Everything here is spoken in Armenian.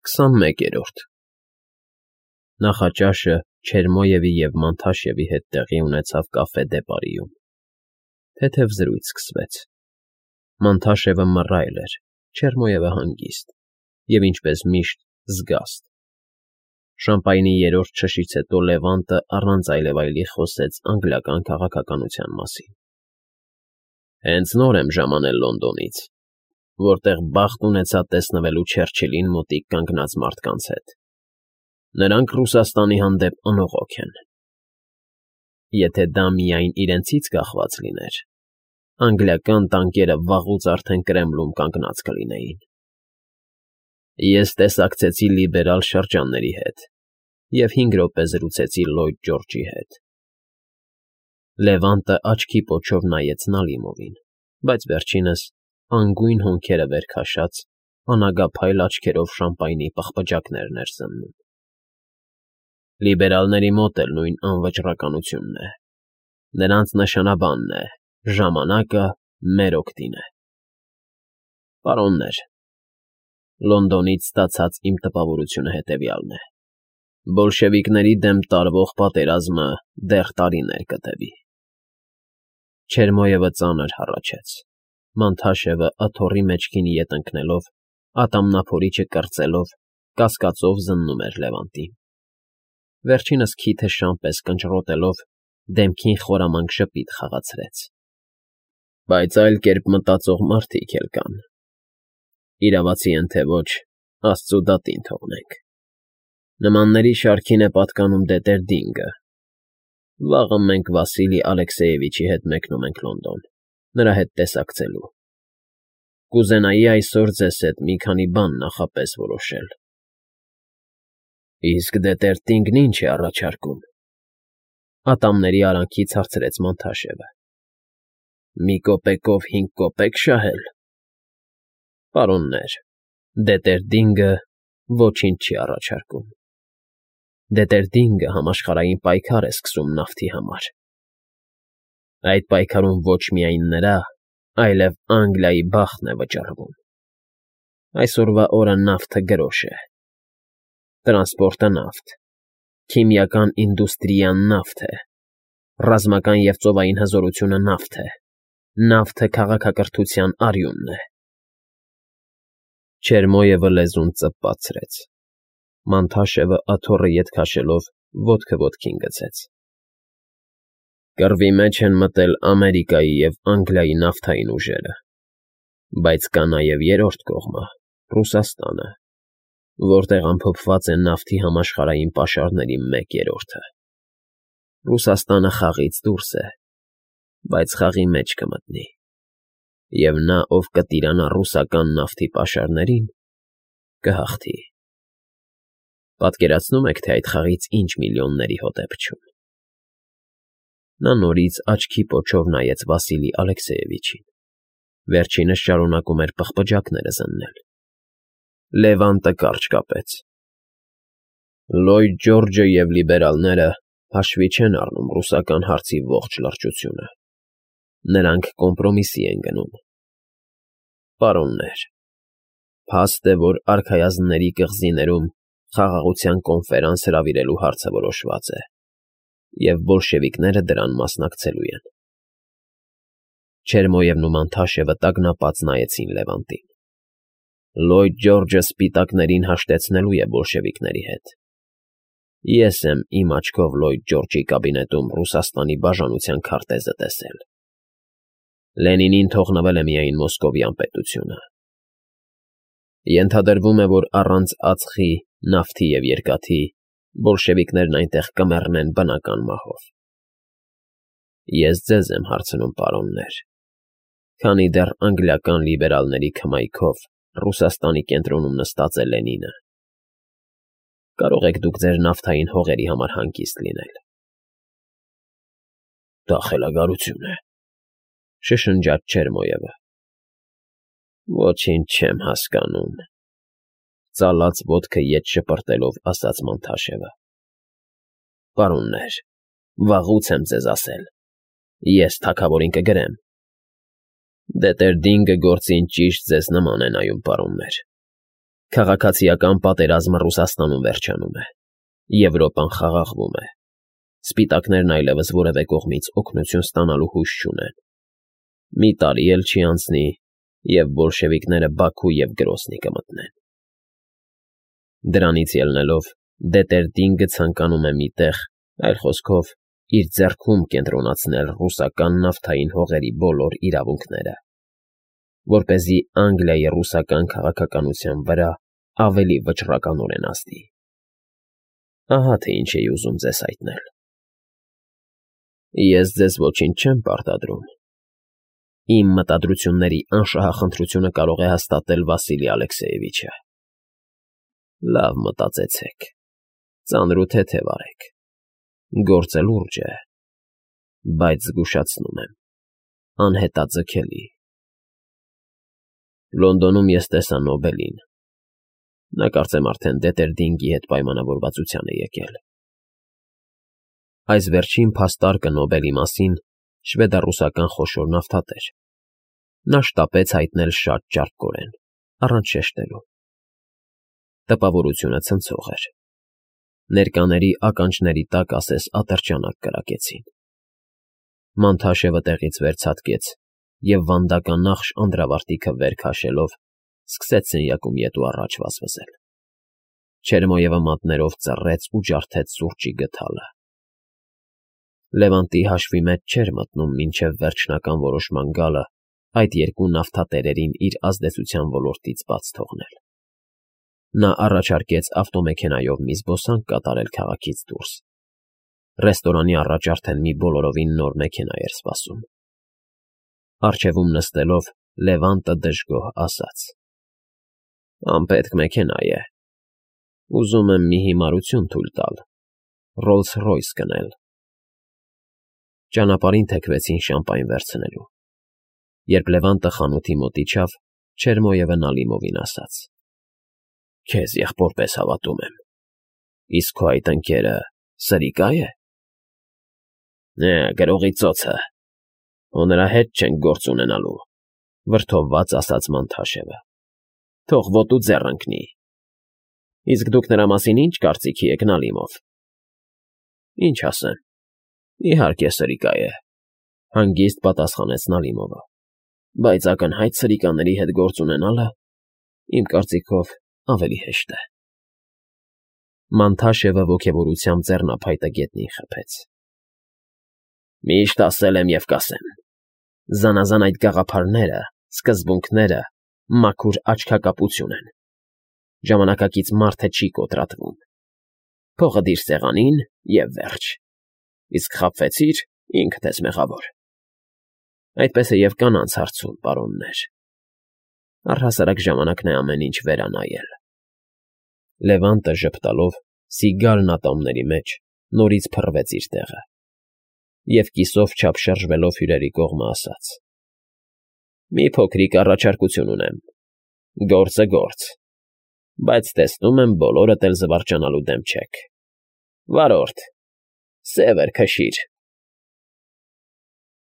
21-րդ Նախաճաշը Չերմոյևի և Մանթաշևի հետ տեղի ունեցավ կաֆե դե Պարիում։ Թեթև զրույց սկսվեց։ Մանթաշևը մռայլ էր, Չերմոյևը հանգիստ և, ինչպես միշտ, զգաստ։ Շամպայնի երրորդ շշից հետո Լևանտը առանց այլևայլի խոսեց անգլիական քաղաքականության մասին։ Հենց նոր եմ ժամանել Լոնդոնից, որտեղ բախտ ունեցա տեսնվելու Չերչիլին մոտիկ կանգնած մարդկանց հետ։ Նրանք Ռուսաստանի հանդեպ անողոք են։ Եթե դա միայն իրենցից կախված լիներ, անգլիական տանկերը վաղուց արդեն Կրեմլում կանգնած կլինեին։ Ես տեսակցեցի լիբերալ շրջանների հետ և 5 րոպե զրուցեցի Լլոյդ Ջորջի հետ։ Լևանտը աչքի պոչով նայեց Նալիմովին, բայց վերջինս, անգույն հոնքերը վեր քաշած, անագափայլ աչքերով շամպայնի պղպջակներն էր զննում։ Լիբերալների մոտ էլ նույն անվճռականությունն է։ Նրանց նշանաբանն է. ժամանակը մեր օգտին է։ Պարոններ, Լոնդոնից ստացած իմ տպավորությունը հետևյալն է. բոլշևիկների դեմ տարվող պատերազմը դեռ տարիներ կտևի։ Չերմոյևը ծանր հառաչեց։ Մանթաշևը աթոռի մեջքին ետ ընկնելով, ատամնափորիչը կրծելով, կասկածով զննում էր Լևանտին։ Վերջինս քիթը շան պես կնճռոտելով, դեմքին խորամանկ ժպիտ խաղացրեց։ Բայց այլ կերպ մտածող մարդիկ էլ կան։ Իրավացի են թե ոչ, Աստծու դատին թողնենք։ Նմանների շարքին է պատկանում Դետերդինգը։ Վաղը մենք Վասիլի Ալեքսեևիչի հետ մեկնում ենք Լոնդոն, նրա հետ տեսակցելու։ Կուզենայի այսօր ձեզ հետ մի քանի բան նախապես որոշել։ Իսկ Դետերդինգն ի՞նչ է առաջարկում։ Ատամների արանքից հարցրեց Մանթաշևը։ Մի կոպեկով 5 կոպեկ շահել։ Պարոններ, Դետերդինգը ոչինչ չի առաջարկում։ Դետերդինգը համաշխարհային պայքար է սկսում նավթի համար։ Այդ պայքարում ոչ միայն նրա, այլև Անգլիայի բախտն է վճռվում։ Այսօրվա օրը նավթը գրոշ է։ Տրանսպորտը նավթ, քիմիական ինդուստրիան նավթ է, ռազմական և ծովային հզորությունը նավթ է, նավթը քաղաքակրթության արյունն է։ Չերմոյևը լեզուն ծպացրեց։ Մանթաշևը աթոռը ետ քաշելով ոտքը ոտքին գցեց։ Կռվի մեջ են մտել Ամերիկայի և Անգլիայի նավթային ուժերը, բայց կա նաև երրորդ կողմը՝ Ռուսաստանը, որտեղ ամփոփված է նավթի համաշխարհային պաշարների 1/3-ը։ Ռուսաստանը խաղից դուրս է, բայց խաղի մեջ կմտնի, և նա, ով կտիրանա ռուսական նավթի պաշարներին, կհաղթի։ Պատկերացնո՞ւմ եք, թե այդ խաղից ինչ միլիոնների հոտ է փչում։ Նա նորից աչքի պոչով նայեց Վասիլի Ալեքսեևիչին։ Վերջինս շարունակում էր պղպջակները զննել։ Լևանտը կարճ կապեց։ Լլոյդ Ջորջը և լիբերալները հաշվի չեն առնում ռուսական հարցի ողջ լրջությունը։ Նրանք կոմպրոմիսի են գնում։ Պարոններ, փաստ է, որ արքայազնների կղզիներում խաղաղության կոնֆերանս հրավիրելու հարցը որոշված է, և բոլշևիկները դրան մասնակցելու են։ Չերմոյևն ու Մանթաշևը տագնապած նայեցին Լևանտին։ Լլոյդ Ջորջը սպիտակներին հաշտեցնելու է բոլշևիկների հետ։ Ես եմ իմ աչքով Լլոյդ Ջորջի կաբինետում Ռուսաստանի բաժանության քարտեզը տեսել։ Լենինին թողնվել է միայն Մոսկովյան պետությունը։ Ենթադրվում է, որ առանց ածխի, նավթի և երկաթի բոլշևիկներն այնտեղ կմեռնեն բնական մահով։ Ես ձեզ եմ հարցնում, պարոններ, քանի դեռ անգլիական լիբերալների քմայքով Ռուսաստանի կենտրոնում նստած է Լենինը, կարող եք դուք ձեր նավթային հողերի համար հանգիստ լինել։ Դա խելագարություն է, շշնջաց Չերմոյևը։ Ոչինչ չեմ հասկանում, ծալած ոտքը ետ շպրտելով ասաց Մանթաշևը։ Պարոններ, վաղուց եմ ձեզ ասել, ես թագավորին կգրեմ։ Դետերդինգը գործին ճիշտ ձեզ նման է նայում, պարոններ։ Քաղաքացիական պատերազմը Ռուսաստանում վերջանում է, Եվրոպան խաղաղվում է, սպիտակներն այլևս որևէ կողմից օգնություն ստանալու հույս չունեն։ Մի տարի էլ չի անցնի, և բոլշևիկները Բաքու և Գրոզնի կմտնեն։ Դրանից ելնելով, Դետերդինգը ցանկանում է մի տեղ, այլ խոսքով, իր ձեռքում կենտրոնացնել ռուսական նավթային հողերի բոլոր իրավունքները, որպեսզի Անգլիայի ռուսական քաղաքականության վրա ավելի վճռականորեն ազդի։ Ահա թե ինչ էի ուզում ձեզ հայտնել։ Ես ձեզ ոչինչ չեմ պարտադրում։ Իմ մտադրությունների անշահախնդրությունը կարող է հաստատել Վասիլի Ալեքսեևիչը։ Լավ մտածեցեք, ծանր ու թեթև արեք, գործը լուրջ է, բայց զգուշացնում եմ, անհետաձգելի։ Լոնդոնում ես տեսա Նոբելին։ Նա կարծեմ արդեն Դետերդինգի հետ պայմանավորվածության է եկել։ Այս վերջին փաստարկը Նոբելի մասին շվեդառուսական խոշոր նավթատեր։ Նա շտապեց հայտնել շատ ճարպկորեն, առանց շեշտելու։ Տպավորությունը ցնցող էր։ Ներկաների ականջների տակ ասես ատրճանակ կրակեցին։ Մանթաշևը տեղից վերցատկեց և վանդականախշ անդրավարտիքը վեր քաշելով սկսեց սենյակում ետ ու առաջ վազվզել։ Չերմոյևը մատներով ծռեց ու ջարդեց սուրճի գդալը։ Լևանտի հաշվի մեջ չէր մտնում մինչև վերջնական որոշման գալը այդ երկու նավթատերերին իր ազդեցության ոլորտից բաց թողնել։ Նա առաջարկեց ավտոմեքենայով մի զբոսանք կատարել քաղաքից դուրս։ Ռեստորանի առաջ արդեն մի բոլորովին նոր մեքենա էր սպասում։ Առջևում նստելով Լևանտը դժգոհ ասաց. «Անպետք մեքենա է։ Ուզում եմ մի հիմարություն թույլ տալ, Ռոլս-Ռոյս գնել»։ Ճանապարհին թեքվեցին շամպայն վերցնելու։ Երբ Լևանտը խանութի մոտ իջավ, Չերմոյևը Նալիմովին ասաց. «Քեզ եղբորպես հավատում եմ, իսկ քո այդ ընկերը սրիկա՞ է»։ Գրողի ծոցը, հո նրա հետ չենք գործ ունենալու,֊ վրդովված ասաց Մանթաշևը։ «Թող ոտու ձեռ ընկնի։ Իսկ դուք նրա մասին ի՞նչ կարծիքի եք, Նալիմով»։ «Ինչ ասեմ, իհարկե սրիկա է», հանգիստ պատասխանեց Նալիմովը, «բայց ակնհայտ սրիկաների հետ գործ ունենալը, իմ կարծիքով, ավելի հեշտ է»։ Մանթաշևը ոգևորությամբ ձեռնափայտը գետնին խփեց։ «Միշտ ասել եմ և կասեմ. զանազան այդ գաղափարները, սկզբունքները մաքուր աչքակապություն են։ Ժամանակակից մարդը չի կոտրատվում։ Փողը դիր սեղանին և վերջ։ Իսկ խաբվեցիր, ինքդ ես մեղավոր։ Այդպես է և կանանց հարցում, պարոններ։ Առհասարակ ժամանակն է ամեն ինչ վերանայել»։ Լևանտը ժպտալով սիգարն ատամների մեջ նորից փռվեց իր տեղը և կիսով չափ շրջվելով հյուրերի կողմը ասաց. «Մի փոքրիկ առաջարկություն ունեմ, գործը գործ, բայց տեսնում եմ բոլորդ էլ զվարճանալու դեմ չեք։ Վարորդ, սևր քշիր»։